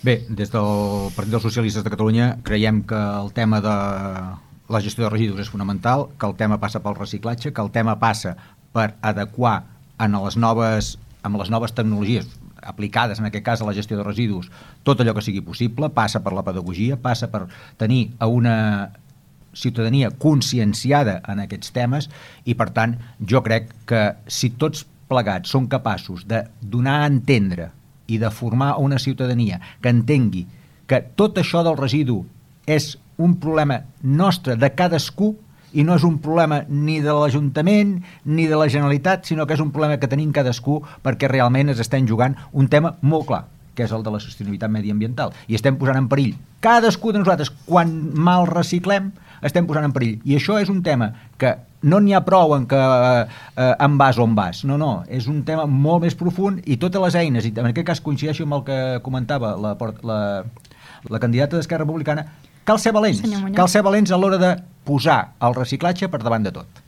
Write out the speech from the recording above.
Bé, des del Partit dels Socialistes de Catalunya creiem que el tema de la gestió de residus és fonamental, que el tema passa pel reciclatge, que el tema passa per adequar amb les noves tecnologies aplicades, en aquest cas a la gestió de residus, tot allò que sigui possible, passa per la pedagogia, passa per tenir a una ciutadania conscienciada en aquests temes i, per tant, jo crec que si tots plegats són capaços de donar a entendre i de formar una ciutadania que entengui que tot això del residu és un problema nostre, de cadascú, i no és un problema ni de l'Ajuntament ni de la Generalitat, sinó que és un problema que tenim cadascú perquè realment ens estem jugant un tema molt clar, que és el de la sostenibilitat mediambiental, i estem posant en perill cadascú de nosaltres. Quan mal reciclem estem posant en perill, i això és un tema que no n'hi ha prou en que en vas on vas, no, és un tema molt més profund, i totes les eines, i en aquest cas coincideixo amb el que comentava la candidata d'Esquerra Republicana, cal ser valents a l'hora de posar el reciclatge per davant de tot.